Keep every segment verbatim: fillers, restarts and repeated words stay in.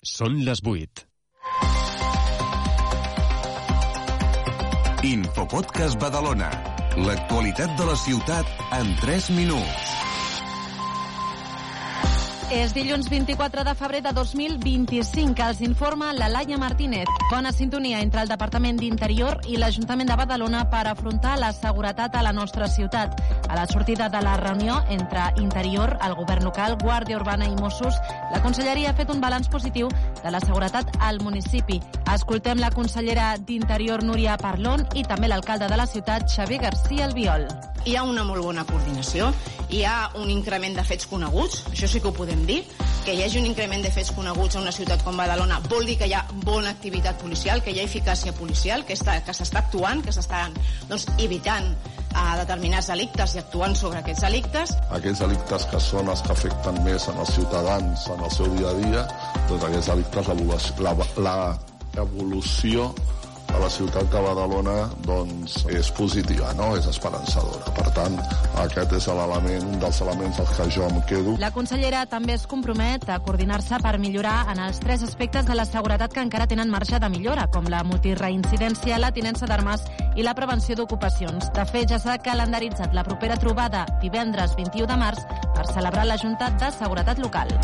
Són les vuit. Infopodcast Badalona. L'actualitat de la ciutat en tres minuts. És dilluns vint-i-quatre de febrer de dos mil vint-i-cinc. Els informa la Laia Martínez. Bona sintonia entre el Departament d'Interior i l'Ajuntament de Badalona per afrontar la seguretat a la nostra ciutat. A la sortida de la reunió entre Interior, el Govern local, Guàrdia Urbana i Mossos, la Conselleria ha fet un balanç positiu de la seguretat al municipi. Escoltem la consellera d'Interior, Núria Parlon, i també l'alcalde de la ciutat, Xavier García Albiol. Hi ha una molt bona coordinació, hi ha un increment de fets coneguts, això sí que ho podem dir, que hi hagi un increment de fets coneguts a una ciutat com Badalona vol dir que hi ha bona activitat policial, que hi ha eficàcia policial, que està, que s'està actuant, que s'estan doncs, evitant a determinats delictes i actuant sobre aquests delictes. Aquells delictes que són els que afecten més en els ciutadans en el seu dia a dia, doncs aquests delictes, la, la evolució a la ciutat de Badalona doncs, és positiva, no? És esperançadora. Per tant, aquest és l'element, un dels elements als que jo em quedo. La consellera també es compromet a coordinar-se per millorar en els tres aspectes de la seguretat que encara tenen marge de millora, com la multireincidència, la tinença d'armes i la prevenció d'ocupacions. De fet, ja s'ha calendaritzat la propera trobada divendres vint-i-u de març per celebrar la Junta de Seguretat Local.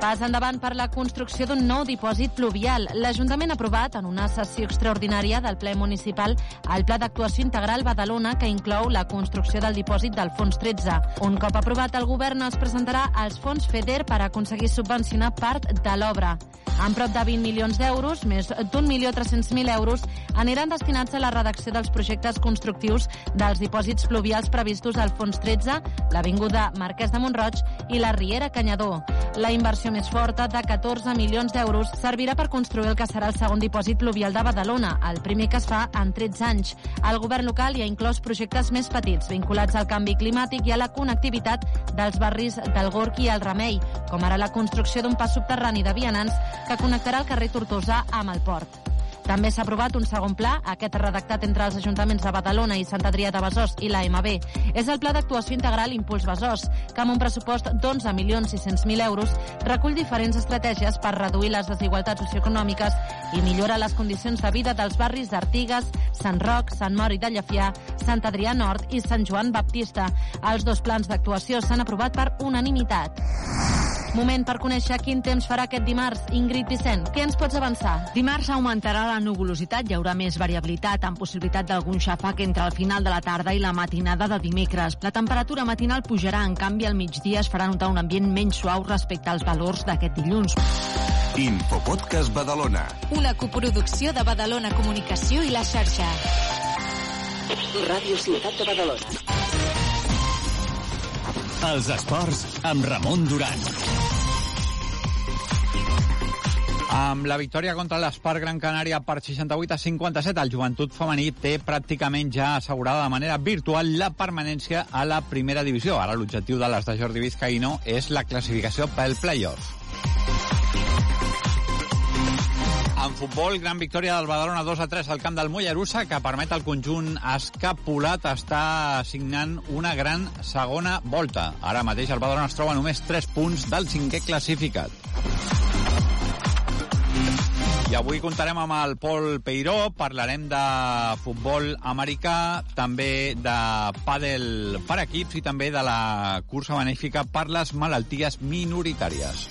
Pas endavant per la construcció d'un nou dipòsit pluvial. L'Ajuntament ha aprovat en una sessió extraordinària del ple municipal el Pla d'Actuació Integral Badalona, que inclou la construcció del dipòsit del Fons tretze. Un cop aprovat, el govern es presentarà als fons FEDER per aconseguir subvencionar part de l'obra. Amb prop de vint milions d'euros, més d'un milió tres-cents mil euros, aniran destinats a la redacció dels projectes constructius dels dipòsits pluvials previstos al Fons tretze, l'Avinguda Marquès de Mont-roig i la Riera Canyador. La inversió més forta, de catorze milions d'euros, servirà per construir el que serà el segon dipòsit pluvial de Badalona, el primer que es fa en tretze anys. El govern local hi ha inclòs projectes més petits, vinculats al canvi climàtic i a la connectivitat dels barris del Gorg i el Remei, com ara la construcció d'un pas subterrani de vianants que connectarà el carrer Tortosa amb el port. També s'ha aprovat un segon pla, aquest redactat entre els ajuntaments de Badalona i Sant Adrià de Besòs i l'A M B. És el Pla d'Actuació Integral Impuls Besòs, que amb un pressupost d'onze milions sis-cents mil euros recull diferents estratègies per reduir les desigualtats socioeconòmiques i millora les condicions de vida dels barris d'Artigues, Sant Roc, Sant Mori de Llefià, Sant Adrià Nord i Sant Joan Baptista. Els dos plans d'actuació s'han aprovat per unanimitat. Moment per conèixer quin temps farà aquest dimarts. Ingrid Vicent, què ens pots avançar? Dimarts augmentarà la nuvolositat, hi haurà més variabilitat, amb possibilitat d'algun xàfec entre el final de la tarda i la matinada de dimecres. La temperatura matinal pujarà, en canvi al migdia es farà notar un ambient menys suau respecte als valors d'aquest dilluns. Infopodcast Badalona. Una coproducció de Badalona Comunicació i la xarxa. Ràdio Ciutat de Badalona. Els esports amb Ramon Duran. Amb la victòria contra l'Espart Gran Canària per seixanta-vuit a cinquanta-set, el Joventut Femení té pràcticament ja assegurada de manera virtual la permanència a la primera divisió. Ara l'objectiu de les de Jordi Vizcaíno és la classificació pel play-off. En futbol, gran victòria del Badalona dos a tres al camp del Mollerussa, que permet al conjunt escapulat estar signant una gran segona volta. Ara mateix el Badalona es troba només tres punts del cinquè classificat. I avui comptarem amb el Pol Peiró, parlarem de futbol americà, també de pàdel per equips i també de la cursa benèfica per les malalties minoritàries.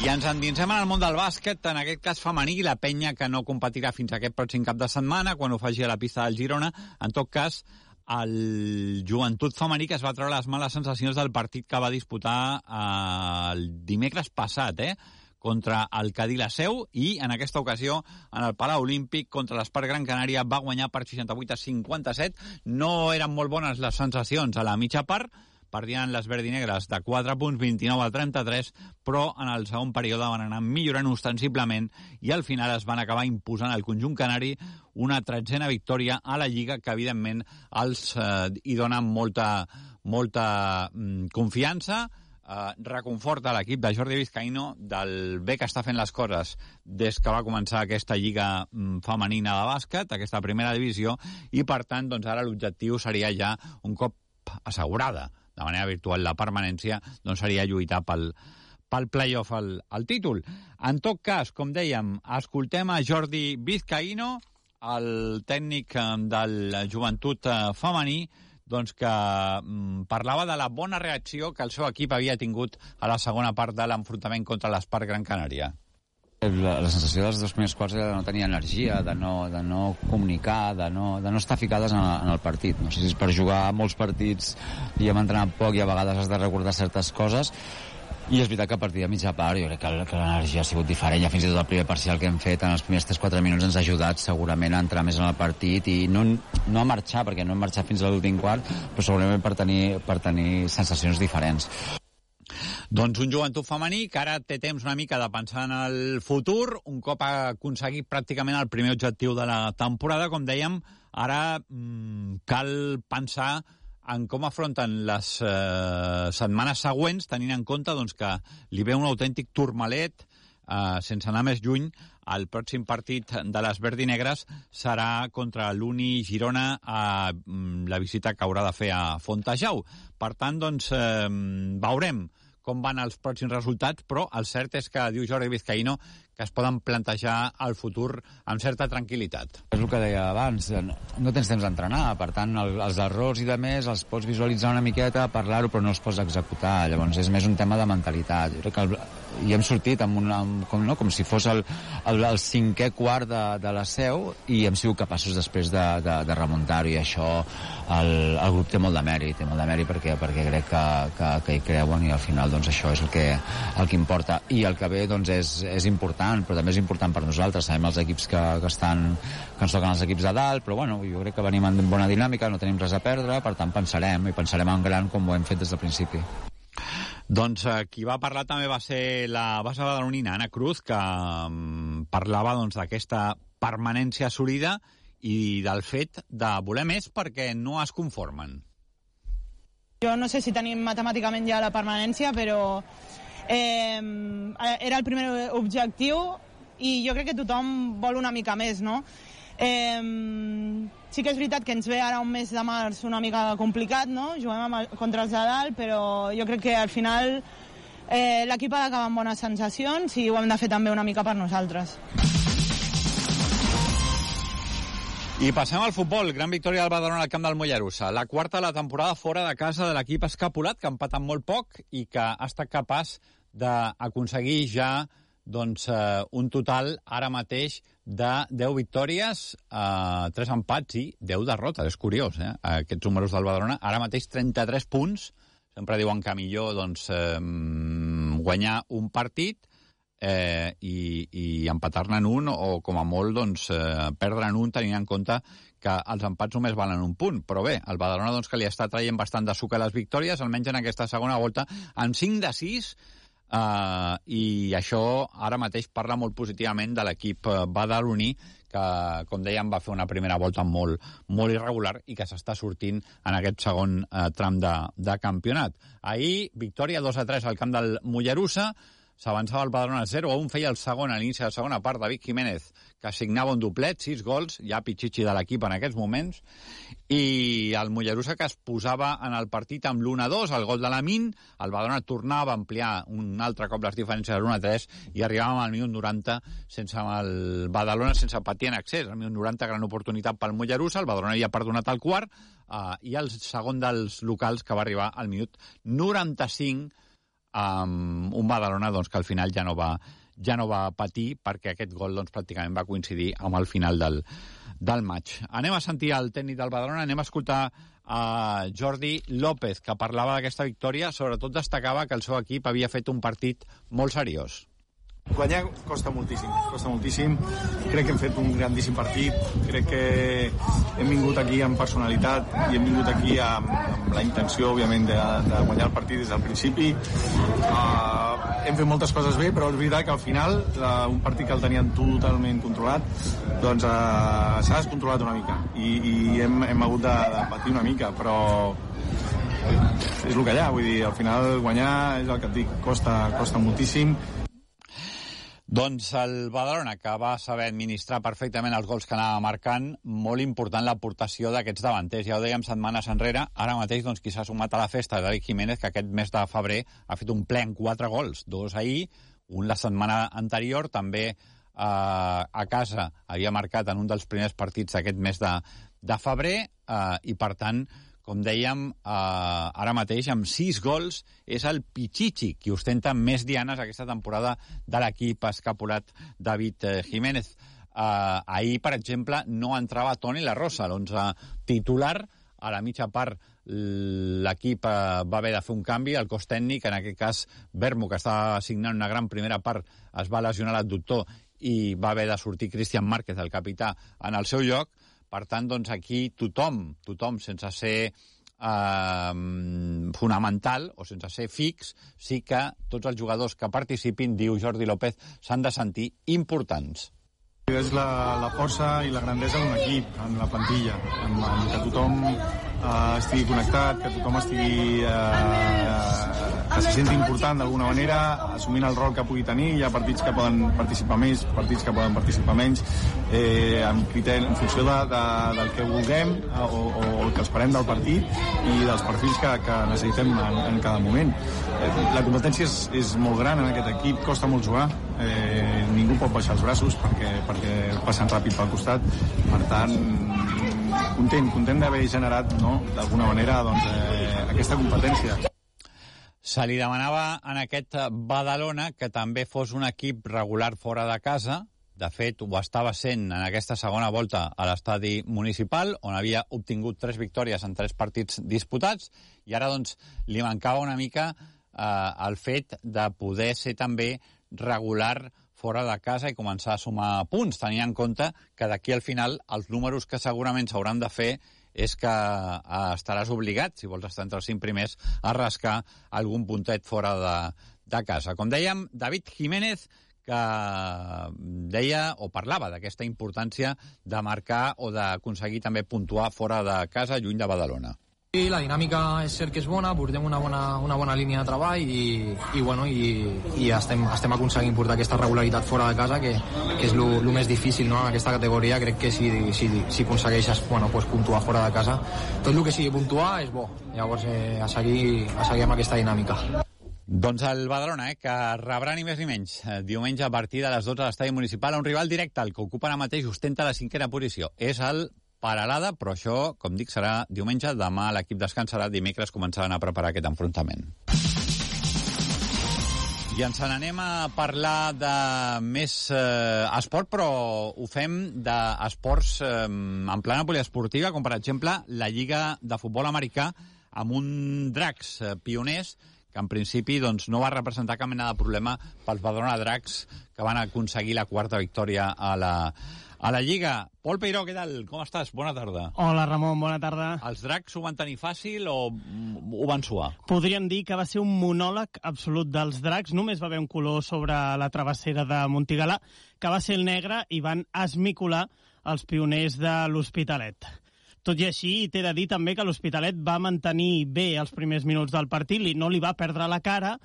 I ens endinsem en el món del bàsquet, en aquest cas femení, la penya que no competirà fins aquest pròxim cap de setmana, quan ho faci a la pista del Girona. En tot cas, el Joventut Femení, que es va treure les males sensacions del partit que va disputar el dimecres passat, eh? contra el Cadí la Seu, i en aquesta ocasió en el Palau Olímpic contra l'Espart Gran Canària va guanyar per seixanta-vuit a cinquanta-set. No eren molt bones les sensacions a la mitja part, perdien les verdinegres de quatre punts, vint-i-nou a trenta-tres, però en el segon període van anar millorant ostensiblement i al final es van acabar imposant al conjunt canari una tretzena victòria a la Lliga, que evidentment els eh, hi dona molta, molta mm, confiança, eh, reconforta l'equip de Jordi Vizcaíno del bé que està fent les coses des que va començar aquesta Lliga mm, femenina de bàsquet, aquesta primera divisió, i per tant doncs, ara l'objectiu seria ja un cop assegurada de manera virtual la permanència, doncs seria lluitar pel, pel play-off al, al títol. En tot cas, com dèiem, escoltem a Jordi Vizcaíno, el tècnic del Joventut femení, doncs que mm, parlava de la bona reacció que el seu equip havia tingut a la segona part de l'enfrontament contra l'Spark Gran Canària. La, la sensació dels dos primers quarts era de no tenir energia, de no, de no comunicar, de no, de no estar ficades en, en el partit. No sé si és per jugar molts partits i hem entrenat poc i a vegades has de recordar certes coses. I és veritat que a partir de mitja part jo crec que, que l'energia ha sigut diferent. Ja fins i tot el primer parcial que hem fet en els primers tres quatre minuts ens ha ajudat segurament a entrar més en el partit i no, no a marxar, perquè no hem marxat fins a l'últim quart, però segurament per tenir, per tenir sensacions diferents. Doncs un Joventut femení que ara té temps una mica de pensar en el futur, un cop ha aconseguit pràcticament el primer objectiu de la temporada, com dèiem, ara mmm, cal pensar en com afronten les eh, setmanes següents, tenint en compte doncs, que li ve un autèntic turmalet, eh, sense anar més lluny. El pròxim partit de les verdinegres serà contra l'Uni Girona a mm, la visita que haurà de fer a Fontejau. Per tant, doncs, eh, veurem com van els pròxims resultats, però el cert és que, diu Jordi Vizcaíno, que es poden plantejar el futur amb certa tranquil·litat. És el que deia abans, no tens temps d'entrenar, per tant, el, els errors i de més els pots visualitzar una miqueta, parlar-ho, però no els pots executar. Llavors és més un tema de mentalitat. Jo crec que el, i hem sortit amb una, amb, com, no? com si fos el, el, el cinquè quart de, de la Seu i hem sigut capaços després de, de, de remuntar-ho, i això el, el grup té molt de mèrit, té molt de mèrit perquè, perquè crec que, que, que hi creuen, i al final doncs, això és el que, el que importa. I el que ve doncs, és, és important, però també és important per nosaltres. Sabem els equips que, que, estan, que ens toquen els equips de dalt, però bueno, jo crec que venim en bona dinàmica, no tenim res a perdre, per tant pensarem, i pensarem en gran com ho hem fet des del principi. Doncs eh, qui va parlar també va ser la base badalonina, Anna Cruz, que um, parlava doncs, d'aquesta permanència assolida i del fet de voler més perquè no es conformen. Jo no sé si tenim matemàticament ja la permanència, però eh, era el primer objectiu i jo crec que tothom vol una mica més, no? Eh, sí que és veritat que ens ve ara un mes de març una mica complicat, no? Juguem amb el, contra els de dalt, però jo crec que al final eh, l'equip ha d'acabar amb bones sensacions i ho hem de fer també una mica per nosaltres. I passem al futbol. Gran victòria del Badalona al camp del Mollerussa. La quarta de la temporada fora de casa de l'equip escapulat, que ha empatat molt poc i que ha estat capaç d'aconseguir ja doncs, eh, un total ara mateix de deu victòries, eh, tres empats i deu derrotes. És curiós, eh? Aquests números del Badalona. Ara mateix trenta-tres punts. Sempre diuen que millor doncs, eh, guanyar un partit eh, i, i empatar-ne en un, o com a molt doncs, eh, perdre en un, tenint en compte que els empats només valen un punt. Però bé, el Badalona doncs, que li està traient bastant de suc a les victòries, almenys en aquesta segona volta, en cinc de sis, Uh, i això ara mateix parla molt positivament de l'equip badaloní, que, com dèiem, va fer una primera volta molt, molt irregular i que s'està sortint en aquest segon uh, tram de, de campionat. Ahir, victòria dos a tres al camp del Mollerussa, s'avançava el Badalona zero a un, feia el segon a l'inici de la segona part, David Jiménez, que assignava un doplet, sis gols, ja pitxitxi de l'equip en aquests moments, i el Mollerussa que es posava en el partit amb l'u a dos, el gol de l'Amin, el Badalona tornava a ampliar un altre cop les diferències de l'u a tres i arribàvem al minut noranta sense el Badalona sense patir en accés. Al minut noranta, gran oportunitat pel Mollerussa, el Badalona havia perdonat el quart, uh, i el segon dels locals que va arribar al minut noranta-cinc, amb un Badalona doncs, que al final ja no va ja no va patir, perquè aquest gol doncs, pràcticament va coincidir amb el final del, del maig. Anem a sentir el tècnic del Badalona, anem a escoltar a Jordi López, que parlava d'aquesta victòria, sobretot destacava que el seu equip havia fet un partit molt seriós. Guanyar costa moltíssim, costa moltíssim. Crec que hem fet un grandíssim partit. Crec que hem vingut aquí amb personalitat i hem vingut aquí amb, amb la intenció, òbviament, de, de guanyar el partit des del principi. Uh, hem fet moltes coses bé, però és veritat que al final, uh, un partit que el tenien totalment controlat, doncs uh, s'ha descontrolat una mica i, i hem, hem hagut de, de patir una mica, però és el que hi ha. Vull dir, al final guanyar és el que et dic, costa, costa moltíssim. Doncs el Badalona, que va saber administrar perfectament els gols que anava marcant, molt important l'aportació d'aquests davanters. Ja ho dèiem setmanes enrere, ara mateix doncs, qui s'ha sumat a la festa, David Jiménez, que aquest mes de febrer ha fet un ple en quatre gols, dos ahir, un la setmana anterior, també eh, a casa havia marcat en un dels primers partits d'aquest mes de, de febrer, eh, i per tant, com dèiem, eh, ara mateix, amb sis gols, és el Pichichi, qui ostenta més dianes aquesta temporada de l'equip escapulat David eh, Jiménez. Eh, ahir, per exemple, no entrava Toni La Rosa, l'onze titular. A la mitja part l'equip eh, va haver de fer un canvi, el cos tècnic, en aquest cas Vermo, que estava signant una gran primera part, es va lesionar l'adductor i va haver de sortir Cristian Márquez, el capità, en el seu lloc. Per tant, doncs, aquí tothom, tothom, sense ser eh, fonamental o sense ser fix, sí que tots els jugadors que participin, diu Jordi López, s'han de sentir importants. És la, la força i la grandesa d'un equip, en la plantilla, en, en que tothom eh, estigui connectat, que tothom estigui... Eh, que se senti important d'alguna manera, assumint el rol que pugui tenir. Hi ha partits que poden participar més, partits que poden participar menys, eh, en, criteri, en funció de, de, del que vulguem o, o el que esperem del partit i dels perfils que, que necessitem en, en cada moment. Eh, la competència és, és molt gran en aquest equip, costa molt jugar, eh, ningú pot baixar els braços perquè, perquè passen ràpid pel costat. Per tant, content, content d'haver generat, no, d'alguna manera, doncs, eh, aquesta competència. Se li demanava en aquest Badalona que també fos un equip regular fora de casa. De fet, ho estava sent en aquesta segona volta a l'estadi municipal, on havia obtingut tres victòries en tres partits disputats, i ara doncs li mancava una mica eh, el fet de poder ser també regular fora de casa i començar a sumar punts, tenint en compte que d'aquí al final els números que segurament s'hauran de fer és que eh, estaràs obligat, si vols estar entre els cinc primers, a rascar algun puntet fora de, de casa. Com dèiem, David Jiménez, que deia o parlava d'aquesta importància de marcar o d'aconseguir també puntuar fora de casa, lluny de Badalona. I la dinàmica és cert que és bona, portem una bona, una bona línia de treball i, i, bueno, i, i estem, estem aconseguint portar aquesta regularitat fora de casa, que, que és el més difícil, no? En aquesta categoria. Crec que si, si, si aconsegueixes, bueno, pues, puntuar fora de casa, tot el que sigui puntuar és bo. Llavors, eh, a, seguir, a seguir amb aquesta dinàmica. Doncs el Badalona, eh, que rebrà ni més ni menys diumenge a partir de les dotze a l'estadi municipal, un rival directe, el que ocupa ara mateix, ostenta la cinquena posició. És el Paralada, però això, com dic, serà diumenge. Demà l'equip descansarà, dimecres començaran a preparar aquest enfrontament. I ens n'anem a parlar de més eh, esport, però ho fem d'esports eh, en plana poliesportiva, com per exemple la Lliga de Futbol Americà, amb un Dracs eh, pioners, que en principi doncs, no va representar cap mena de problema pels Badalona Dracs, que van aconseguir la quarta victòria a la, a la Lliga. Pol Peiró, què tal? Com estàs? Bona tarda. Hola, Ramon, bona tarda. Els Dracs ho van tenir fàcil o ho van suar? Podríem dir que va ser un monòleg absolut dels Dracs. Només va haver un color sobre la travessera de Montigalà, que va ser el negre, i van esmicolar els pioners de l'Hospitalet. Tot i així, t'he de dir també que l'Hospitalet va mantenir bé els primers minuts del partit, i no li va perdre la cara,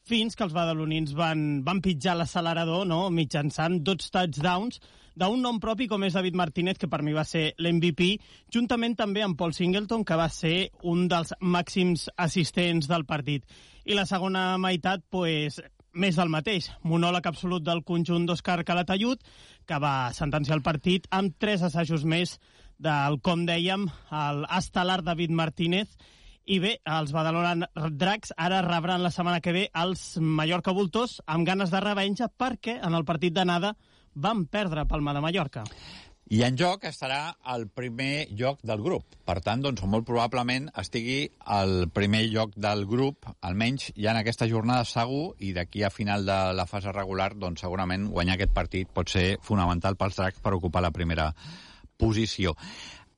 fins que els badalonins van, van pitjar l'accelerador, no?, mitjançant dos touchdowns d'un nom propi com és David Martínez, que per mi va ser l'M V P, juntament també amb Paul Singleton, que va ser un dels màxims assistents del partit. I la segona meitat, pues, més del mateix. Monòleg absolut del conjunt d'Òscar Calatayud, que va sentenciar el partit amb tres assajos més del, com dèiem, el estel·lar David Martínez. I bé, els Badalona Dracs ara rebran la setmana que ve els Mallorca Voltors amb ganes de revenja, perquè en el partit d'anada van perdre Palma de Mallorca. I en joc estarà el primer lloc del grup. Per tant, doncs, molt probablement estigui al primer lloc del grup, almenys ja en aquesta jornada segur, i d'aquí a final de la fase regular, doncs, segurament guanyar aquest partit pot ser fonamental pels Dracs per ocupar la primera posició.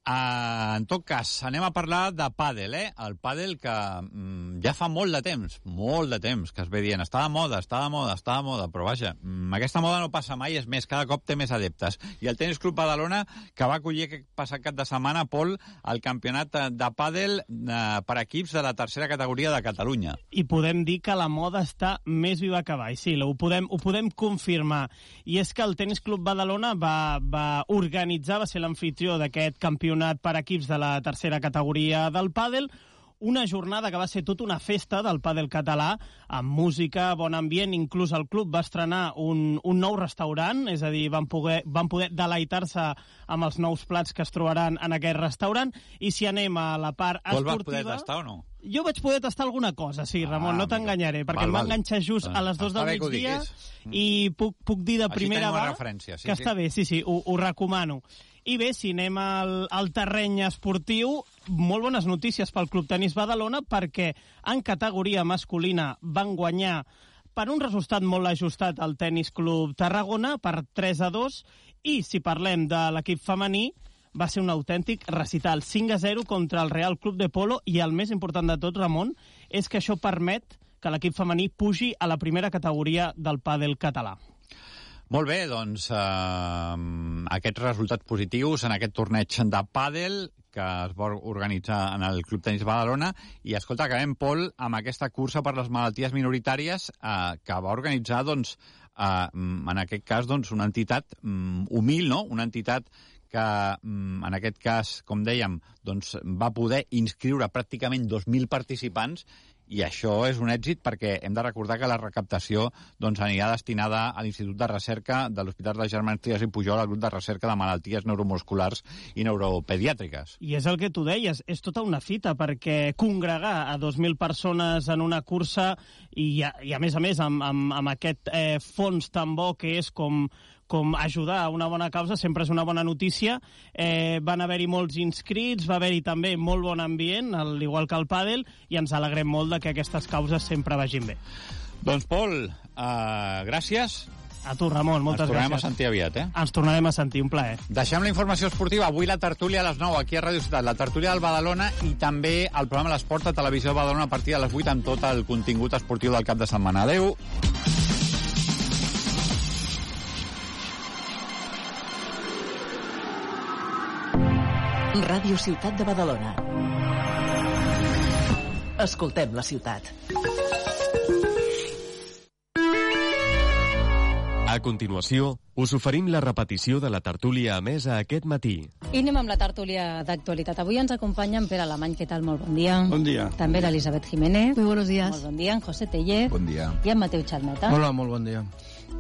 Uh, en tot cas, anem a parlar de pàdel, eh? El pàdel que mm, ja fa molt de temps, molt de temps, que es ve dient, està de moda, està de moda, està de moda, però vaja, mm, aquesta moda no passa mai, és més, cada cop té més adeptes. I el Tenis Club Badalona, que va acollir aquest passat cap de setmana, Pol, el campionat de pàdel eh, per equips de la tercera categoria de Catalunya. I podem dir que la moda està més viva que mai, sí, ho podem, ho podem confirmar. I és que el Tenis Club Badalona va, va organitzar, va ser l'anfitrió d'aquest campionat per equips de la tercera categoria del pàdel, una jornada que va ser tota una festa del pàdel català, amb música, bon ambient, inclús el club va estrenar un, un nou restaurant, és a dir, van poder, van poder deleitar-se amb els nous plats que es trobaran en aquest restaurant, i si anem a la part esportiva... Tu el vas poder tastar o no? Jo vaig poder tastar alguna cosa, sí, Ramon, ah, no t'enganyaré, perquè val, em va enganxar just a les dues del migdia i puc, puc dir de Així primera mà sí, que sí. està bé, sí, sí, ho, ho recomano. I bé, si anem al, al terreny esportiu, molt bones notícies pel Club Tenis Badalona, perquè en categoria masculina van guanyar per un resultat molt ajustat al Tenis Club Tarragona, per tres a dos, i si parlem de l'equip femení, va ser un autèntic recital, cinc a zero contra el Real Club de Polo, i el més important de tot, Ramon, és que això permet que l'equip femení pugi a la primera categoria del pàdel català. Molt bé, doncs eh, aquests resultats positius en aquest torneig de pàdel que es va organitzar en el Club Tenis Badalona. I escolta, acabem, Pol, amb aquesta cursa per les malalties minoritàries eh, que va organitzar, doncs, eh, en aquest cas, doncs, una entitat um, humil, no? Una entitat que, um, en aquest cas, com dèiem, doncs, va poder inscriure pràcticament dos mil participants. I això és un èxit perquè hem de recordar que la recaptació doncs, anirà destinada a l'Institut de Recerca de l'Hospital de Germans Trias i Pujol, al grup de recerca de malalties neuromusculars i neuropediàtriques. I és el que tu deies, és tota una fita, perquè congregar a dos mil persones en una cursa i, i a més a més, amb, amb, amb aquest eh, fons tan bo que és com... com ajudar a una bona causa, sempre és una bona notícia. Eh, van haver-hi molts inscrits, va haver-hi també molt bon ambient, al igual que el pàdel, i ens alegrem molt de que aquestes causes sempre vagin bé. Doncs, Pol, uh, gràcies. A tu, Ramon, moltes gràcies. Ens tornarem gràcies. a sentir aviat, eh? Ens tornarem a sentir, un plaer. Deixem la informació esportiva. Avui la tertúlia a les nou, aquí a Ràdio Ciutat, la tertúlia del Badalona, i també el programa L'Esport a Televisió de Badalona a partir de les vuit amb tot el contingut esportiu del cap de setmana. Adéu. Ràdio Ciutat de Badalona. Escoltem la ciutat. A continuació, us oferim la repetició de la tertúlia emesa aquest matí. I anem amb la tertúlia d'actualitat. Avui ens acompanya en Pere Alemany. Què tal? Molt bon dia. Bon dia. També l'Elisabet Jiménez. Muy buenos días. Molt bon dia. En José Teller. Bon dia. I en Mateu Xalmeta. Hola, molt bon dia.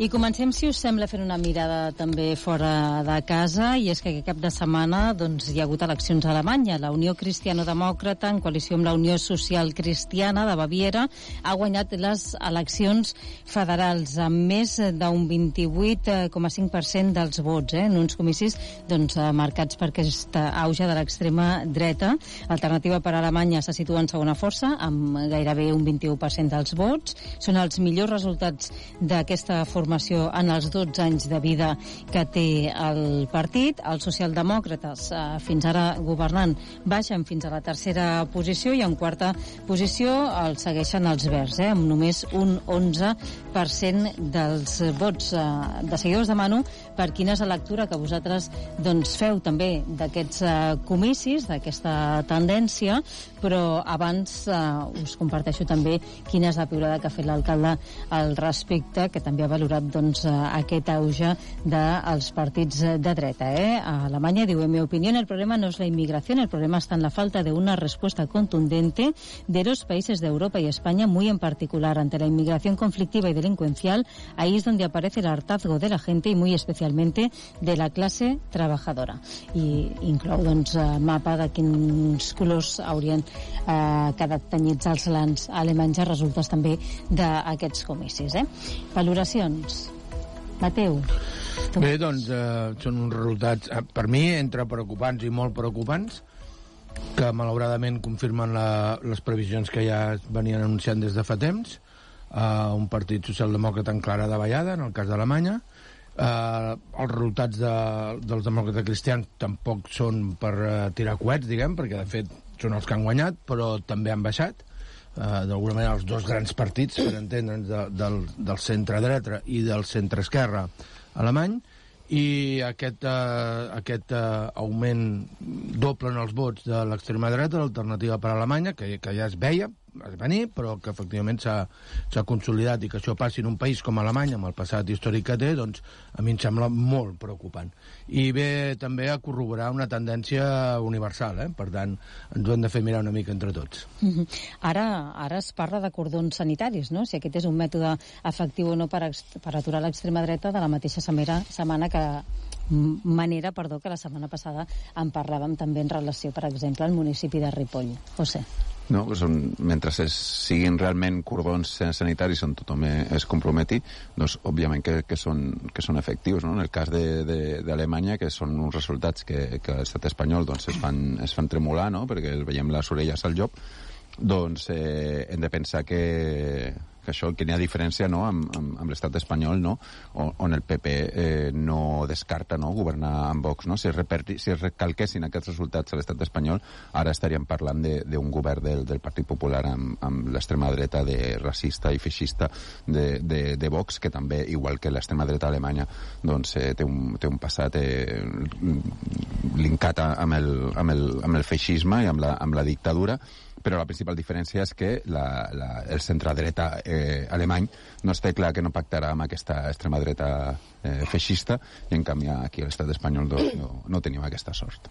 I comencem, si us sembla, fent una mirada també fora de casa, i és que aquest cap de setmana doncs, hi ha hagut eleccions a Alemanya. La Unió Cristiano-Demòcrata, en coalició amb la Unió Social Cristiana de Baviera, ha guanyat les eleccions federals amb més d'un vint-i-vuit coma cinc per cent dels vots, eh, en uns comicis doncs, marcats per aquesta auge de l'extrema dreta. Alternativa per a Alemanya se situa en segona força, amb gairebé un vint-i-u per cent dels vots. Són els millors resultats d'aquesta formació formació en els dotze anys de vida que té el partit. Els socialdemòcrates, eh, fins ara governant, baixen fins a la tercera posició, i en quarta posició el segueixen els verds, eh, amb només un onze per cent dels vots. Eh, de seguida us demano per quina és la lectura que vosaltres doncs, feu també d'aquests eh, comicis, d'aquesta tendència, però abans eh, us comparteixo també quina és la piulada que ha fet l'alcalde al respecte, que també ha valorat doncs, aquest auge dels partits de dreta. Eh? A Alemanya diu, en mi opinión, el problema no es la inmigración, el problema está en la falta de una respuesta contundente de los países de Europa y España, muy en particular ante la inmigración conflictiva y delincuencial. Ahí es donde aparece el hartazgo de la gente y muy especialmente de la clase trabajadora. I inclou doncs, mapa de quins colors haurien eh, quedat tenyits els lands alemanys a resultes també d'aquests comicis. Eh? Valoracions. Mateu. Bé, doncs, eh, són uns resultats, eh, per mi, entre preocupants i molt preocupants, que malauradament confirmen la, les previsions que ja venien anunciant des de fa temps, eh, un partit socialdemòcrata en clara davallada, en el cas d'Alemanya, Uh, els resultats de, dels demòcrates cristians tampoc són per uh, tirar coets, diguem, perquè de fet són els que han guanyat, però també han baixat. Uh, d'alguna manera els dos grans partits, per entendre'ns, de, del, del centre-dreta i del centre-esquerra alemany, i aquest, uh, aquest uh, augment doble en els vots de l'extrema dreta, l'Alternativa per Alemanya, que, que ja es veia es venir, però que efectivament s'ha consolidat, i que això passi en un país com Alemanya, amb el passat històric que té, doncs a mi em sembla molt preocupant. I ve també a corroborar una tendència universal, eh? Per tant, ens ho hem de fer mirar una mica entre tots. Mm-hmm. Ara, ara es parla de cordons sanitaris, no? Si aquest és un mètode efectiu o no per, per aturar l'extrema dreta, de la mateixa setmana, setmana que manera, perdó, que la setmana passada en parlàvem també en relació, per exemple, al municipi de Ripoll. José. No, són, mentre es siguin realment cordons sanitaris on tothom es comprometi, doncs òbviament que, que, són, que són efectius, no? En el cas d'Alemanya, que són uns resultats que, que l'estat espanyol doncs, es, fan, es fan tremolar, no? Perquè veiem les orelles al llop, doncs eh, hem de pensar que, que això, que n'hi ha diferència, no? amb, amb, amb l'estat espanyol, no? on, on el P P eh, no descarta, no? Governar amb Vox, no? Si es, reperti, si es recalquessin aquests resultats a l'estat espanyol, ara estaríem parlant d'un govern del, del Partit Popular amb, amb l'extrema dreta de racista i feixista de, de, de Vox, que també, igual que l'extrema dreta alemanya, doncs eh, té, un, té un passat eh, linkat amb el, amb, el, amb el feixisme i amb la, amb la dictadura, però la principal diferència és que la, la, el centre-dreta eh, alemany no està clar que no pactarà amb aquesta extrema dreta eh, feixista, i en canvi aquí a l'estat espanyol no, no, no tenim aquesta sort.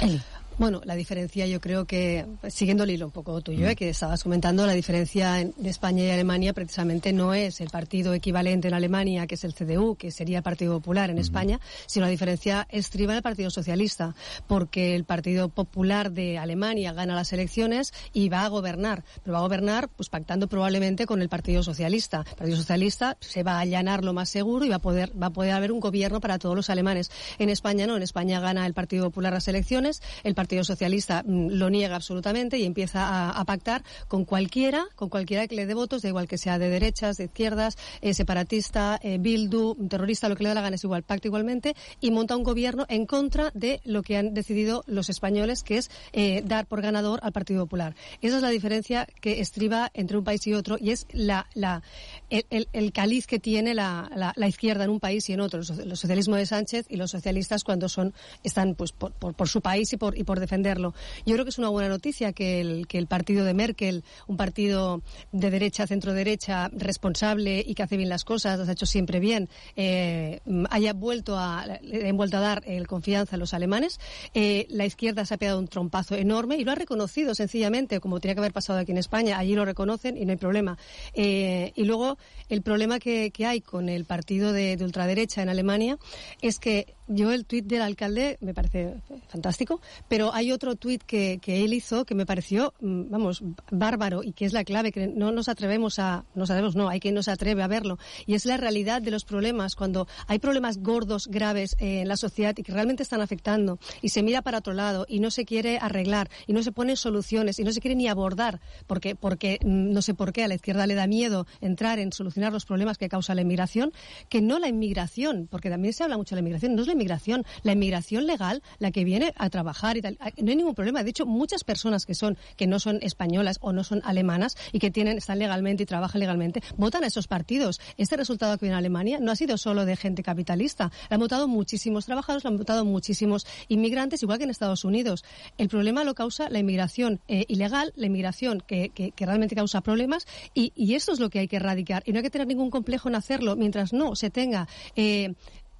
Eli. Bueno, la diferencia yo creo que, siguiendo el hilo un poco tuyo, ¿eh? que estabas comentando, la diferencia en, de España y Alemania precisamente no es el partido equivalente en Alemania, que es el C D U, que sería el Partido Popular en uh-huh. España, sino la diferencia estriba en el Partido Socialista, porque el Partido Popular de Alemania gana las elecciones y va a gobernar, pero va a gobernar pues pactando probablemente con el Partido Socialista. El Partido Socialista se va a allanar lo más seguro y va a poder, va a poder haber un gobierno para todos los alemanes. En España no, en España gana el Partido Popular las elecciones, el Partido Socialista lo niega absolutamente y empieza a, a pactar con cualquiera, con cualquiera que le dé votos, da igual que sea de derechas, de izquierdas, eh, separatista, eh, Bildu, terrorista, lo que le da la gana es igual, pacta igualmente y monta un gobierno en contra de lo que han decidido los españoles, que es eh, dar por ganador al Partido Popular. Esa es la diferencia que estriba entre un país y otro, y es la, la, el, el, el caliz que tiene la, la, la izquierda en un país y en otro, el socialismo de Sánchez y los socialistas cuando son están pues por, por, por su país y por, y por defenderlo. Yo creo que es una buena noticia que el, que el partido de Merkel, un partido de derecha, centro-derecha, responsable y que hace bien las cosas, las ha hecho siempre bien, eh, haya vuelto a, le han vuelto a dar el confianza a los alemanes. Eh, la izquierda se ha pegado un trompazo enorme y lo ha reconocido sencillamente, como tenía que haber pasado aquí en España. Allí lo reconocen y no hay problema. Eh, y luego el problema que, que hay con el partido de, de ultraderecha en Alemania es que yo el tuit del alcalde me parece fantástico, pero hay otro tuit que, que él hizo que me pareció, vamos, bárbaro, y que es la clave, que no nos atrevemos a, no sabemos, no, hay quien no se atreve a verlo, y es la realidad de los problemas. Cuando hay problemas gordos, graves eh, en la sociedad y que realmente están afectando, y se mira para otro lado, y no se quiere arreglar, y no se ponen soluciones, y no se quiere ni abordar, porque, porque no sé por qué a la izquierda le da miedo entrar en solucionar los problemas que causa la inmigración, que no la inmigración, porque también se habla mucho de la inmigración, no es la inmigración, la inmigración legal, la que viene a trabajar y tal, no hay ningún problema. De hecho, muchas personas que son que no son españolas o no son alemanas y que tienen están legalmente y trabajan legalmente, votan a esos partidos. Este resultado que viene en Alemania no ha sido solo de gente capitalista, lo han votado muchísimos trabajadores, lo han votado muchísimos inmigrantes, igual que en Estados Unidos. El problema lo causa la inmigración eh, ilegal, la inmigración que, que, que realmente causa problemas, y, y eso es lo que hay que erradicar, y no hay que tener ningún complejo en hacerlo mientras no se tenga eh,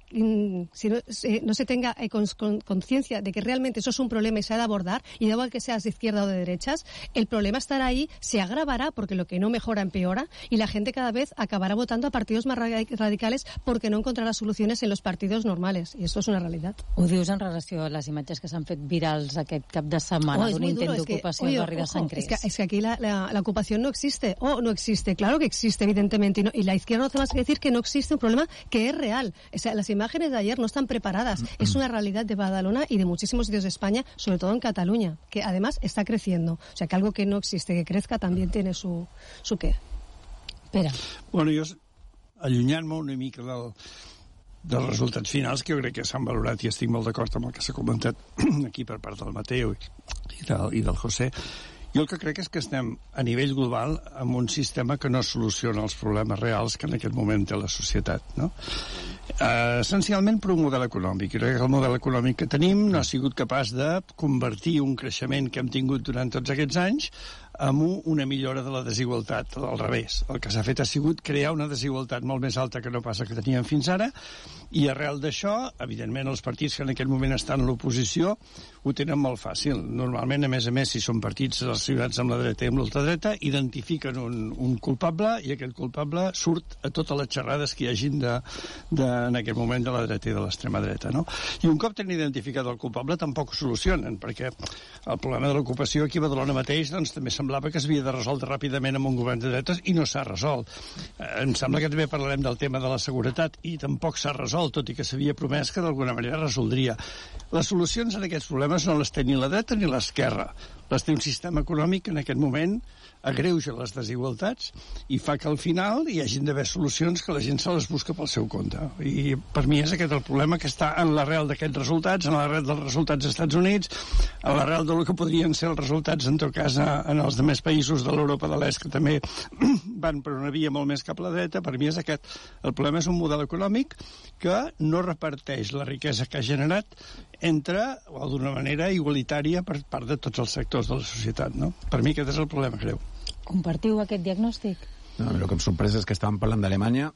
si no, eh, no se tenga eh, con, con, conciencia de que realmente eso es un problema y se ha de abordar, y da igual que seas de izquierda o de derechas, el problema estará ahí, se agravará porque lo que no mejora empeora, y la gente cada vez acabará votando a partidos más radicales porque no encontrarà soluciones en los partidos normales, y esto es una realidad. Ho dius en relació a les imatges que s'han fet virals aquest cap de setmana, oh, d'un intent d'ocupació al barri de Sant Cris. Es que, es que aquí la, la, la ocupación no existe, o oh, no existe, claro que existe evidentemente, y, no, y la izquierda no hace más que decir que no existe un problema que es real. O sea, las imágenes de ayer no están preparadas. Es una realidad de Badalona y de muchísimos sitios de España, sobre todo en Cataluña, que además está creciendo. O sea, que algo que no existe, que crezca, también tiene su, su qué. Espera. Bueno, jo, allunyant-me una mica del, dels resultats finals, que jo crec que s'han valorat, i estic molt d'acord amb el que s'ha comentat aquí per part del Mateo i del, i del José. Jo el que crec és que estem a nivell global amb un sistema que no soluciona els problemes reals que en aquest moment té la societat, no? Uh, essencialment per un model econòmic. Jo crec que el model econòmic que tenim no ha sigut capaç de convertir un creixement que hem tingut durant tots aquests anys amb una millora de la desigualtat, al revés. El que s'ha fet ha sigut crear una desigualtat molt més alta que no pas la que teníem fins ara, i arrel d'això, evidentment, els partits que en aquest moment estan a l'oposició ho tenen molt fàcil. Normalment, a més a més, si són partits relacionats amb la dreta i amb l'ultradreta, identifiquen un, un culpable i aquest culpable surt a totes les xerrades que hi hagin de, de, en aquest moment de la dreta i de l'extrema dreta, no? I un cop tenen identificat el culpable tampoc ho solucionen, perquè el problema de l'ocupació aquí a Badalona mateix doncs, també semblava que s'havia de resoldre ràpidament amb un govern de dretes i no s'ha resolt. Eh, em sembla que també parlarem del tema de la seguretat i tampoc s'ha resolt, tot i que s'havia promès que d'alguna manera resoldria. Les solucions en aquests problemes no les té ni la dreta ni l'esquerra. Les té un sistema econòmic que en aquest moment agreuja les desigualtats i fa que al final hi hagin d'haver solucions que la gent se les busca pel seu compte. I per mi és aquest el problema, que està en l'arrel d'aquests resultats, en l'arrel dels resultats dels Estats Units, en l'arrel del que podrien ser els resultats, en tot cas, en els demés països de l'Europa de l'Est, que també van per una via molt més cap a la dreta. Per mi és aquest. El problema és un model econòmic que no reparteix la riquesa que ha generat entre, o d'una manera igualitària, per part de tots els sectors de la societat, no? Per mi aquest és el problema greu. Compartiu aquest diagnòstic? No, el que em sorpresa és que estàvem parlant d'Alemanya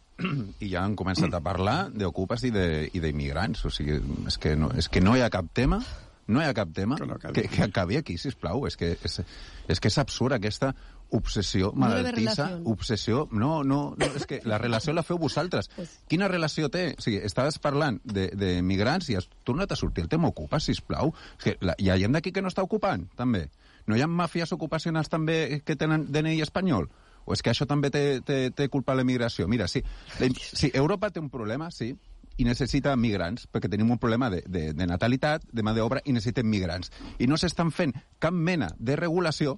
i ja han començat a parlar d'ocupes i d'immigrants. O sigui, és que, no, és que no hi ha cap tema, no hi ha cap tema que, no acabi. que, que acabi aquí, sisplau. És que és, és que és absurd aquesta obsessió malaltissa, no obsessió... No, no, no, és que la relació la feu vosaltres. Pues... Quina relació té? O sigui, estaves parlant de, de migrants i has tornat a sortir el tema ocupa, sisplau. És que la, hi ha gent d'aquí que no està ocupant, també. No hi ha màfies ocupacionals també que tenen D N I espanyol? O és que això també té, té, té culpa la immigració? Mira, sí, la, sí, Europa té un problema, sí, i necessita migrants, perquè tenim un problema de, de, de natalitat, de mà d'obra, i necessitem migrants. I no s'estan fent cap mena de regulació,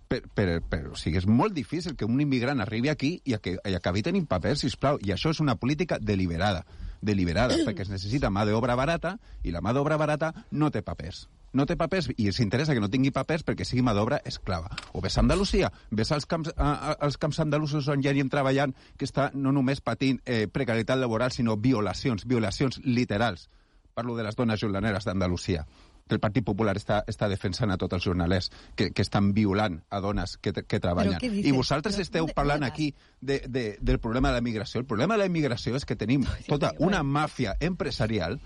per, per, per, o sigui, és molt difícil que un immigrant arribi aquí i, que, i acabi tenint papers, sisplau, i això és una política deliberada, deliberada, perquè es necessita mà d'obra barata, i la mà d'obra barata no té papers. No té papers i els interessa que no tingui papers perquè sigui mà d'obra esclava. O ves a Andalusia, ves als camps, a, a, als camps andalusos on hi ha gent treballant que està no només patint eh, precarietat laboral, sinó violacions, violacions literals. Parlo de les dones jornaleres d'Andalusia, que el Partit Popular està, està defensant a tots els jornalers que, que estan violant a dones que, que treballen. I vosaltres Però, esteu parlant aquí de, de, del problema de la immigració. El problema de la immigració és que tenim tota una màfia empresarial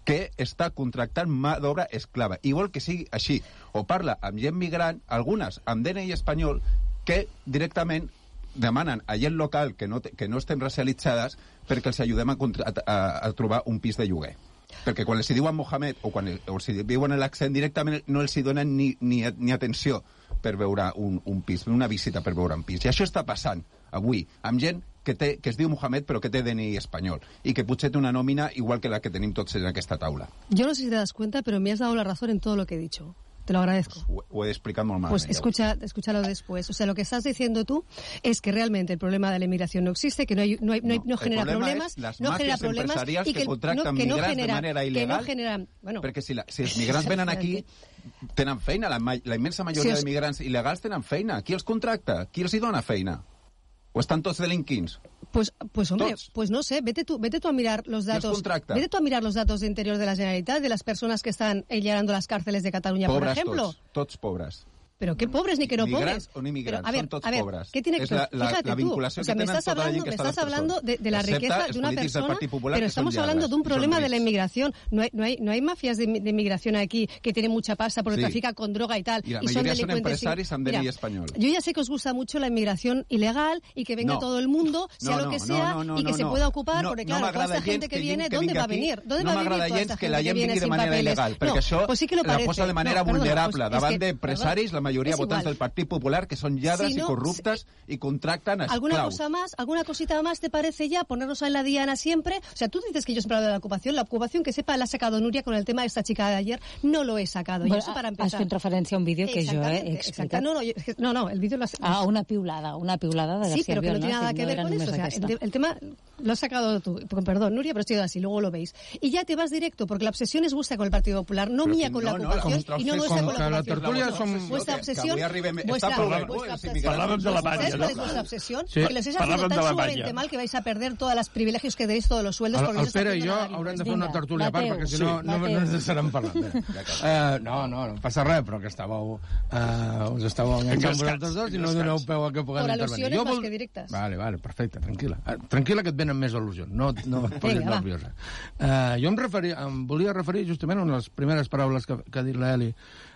que està contractant mà d'obra esclava. I vol que sigui així. O parla amb gent migrant, algunes amb D N I espanyol, que directament demanen a gent local que no, que no estem racialitzades perquè els ajudem a, a, a trobar un pis de lloguer. Perquè quan els diuen Mohamed o quan els diuen l'accent directament no els donen ni, ni, ni atenció per veure un, un pis, una visita per veure un pis. I això està passant avui amb gent que, té, que es diu Mohamed però que té D N I espanyol y que potser té una nómina igual que la que tenim tots en aquesta taula. Yo no sé si te das cuenta, pero me has dado la razón en todo lo que he dicho. Te lo agradezco. Pues, o he explicado muy mal. Pues escucha, escúchalo después. O sea, lo que estás diciendo tú es que realmente el problema de la inmigración no existe, que no, hay, no, hay, no, hay, no genera problemas, no genera problemas y que, que contracten no, que no genera, de manera ilegal. Que no genera, bueno, perquè si, la, si els migrants venen aquí tenen feina, la, la immensa majoria si os... de migrants il·legals tenen feina. Qui els contracta? Qui els hi dona feina? ¿O están todos delinquins? Pues, pues hombre, ¿Tots? pues no sé, vete tú, vete tú a mirar los datos. Vete tú a mirar los datos de interior de la Generalitat, de las personas que están llenando las cárceles de Cataluña, pobres por ejemplo. Tots, tots pobres. Pero qué pobres ni que no migrants pobres. o no migrants, Pero, a ver, son tots a ver, pobres. ¿qué tiene que es la, la, fíjate la tú, vinculació o sea, que me tenen estás tota la gent hablando, que me està estás hablando de, de la riqueza de una persona, pero estamos hablando de un problema de la inmigración. No hay, no hay, no hay mafias de, de inmigración aquí que tienen mucha pasta porque sí. trafica con droga y tal. Y la y mayoría son, son empresarios amb D N I español. Yo ya sé que os gusta mucho la inmigración ilegal y que venga no. todo el mundo, sea no, lo que no, sea, no, no, y que no, se no. pueda ocupar, no, porque no claro, toda esta gente que viene, ¿dónde va a venir? ¿Dónde no va a venir toda esta que la gente que gent viene vingui de sin manera papeles? il·legal, perquè això pues sí que lo la parece. posa de manera no, perdona, vulnerable pues davant que, d'empresaris, la majoria És votants igual. del Partit Popular, que són lladres Si no, i corruptes i contracten esclaus. ¿Alguna cosa más? ¿Alguna cosita más te parece ya? Ponernos en la diana siempre. O sea, tú dices que yo siempre hablo de la ocupación. La ocupación, que sepa, la ha sacado Nuria con el tema de esta chica de ayer. No lo he sacado. Bueno, y eso para has empezar. fet referència a un vídeo que jo he explicat. No, no, yo- es que- no, no, el vídeo lo has... Ah, una piulada, una piulada de Sí, García pero que no Albiol, tiene nada Si que ver era con només eso. O sea, aquesta. el, el tema lo has sacado tú. Perdón, Nuria, pero estoy así, luego lo veis. Y ya te vas directo, porque la obsesión es vuestra con el Partido Popular, no Pero mía que con no, la no, ocupación la y no nuestra com con que la la ocupación. tertúlia som- Vuestra que- que obsesión... avui arribem- vuestra, està prou bé. vuestra Sí, obsesión. Parlàvem de la ¿Sabes Banya, cuál es no? vuestra obsesión? Sí, Que les estáis haciendo parlàvem tan de la sumamente Banya. mal que vais a perder todos los privilegios que tenéis, todos los sueldos. El, porque el no se Pere está i jo haciendo nada. haurem de fer una tertúlia a part, Mateu. perquè si Sí, no, no, no Mateu. ens deixarem parlar. Uh, no, no, no passa res, però que estàveu, uh, us estàveu enganxant vosaltres dos i no doneu peu a que puguem Por intervenir. alusiones Jo más vol- que directas. Vale, vale, perfecte, tranquil·la. Uh, tranquil·la que et venen més al·lusions, no, no et posis Vinga, va. nerviosa. Uh, jo em, referia, em volia referir justament a una de les primeres paraules que, que ha dit l'Eli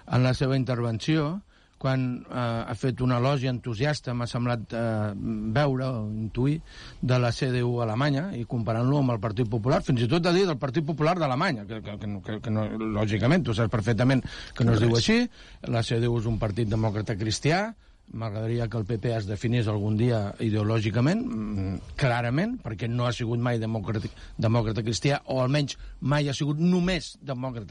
en la seva intervenció, quan eh, ha fet un elogi entusiasta, m'ha semblat eh, veure o intuir, de la C D U alemanya, i comparant-lo amb el Partit Popular, fins i tot de dir del Partit Popular d'Alemanya, que, que, que, que, que no, lògicament, tu saps perfectament que no es diu així, la C D U és un partit demòcrata cristià, m'agradaria que el P P es definís algun dia ideològicament, mm, clarament, perquè no ha sigut mai demòcrata, demòcrata cristià, o almenys mai ha sigut només demòcrata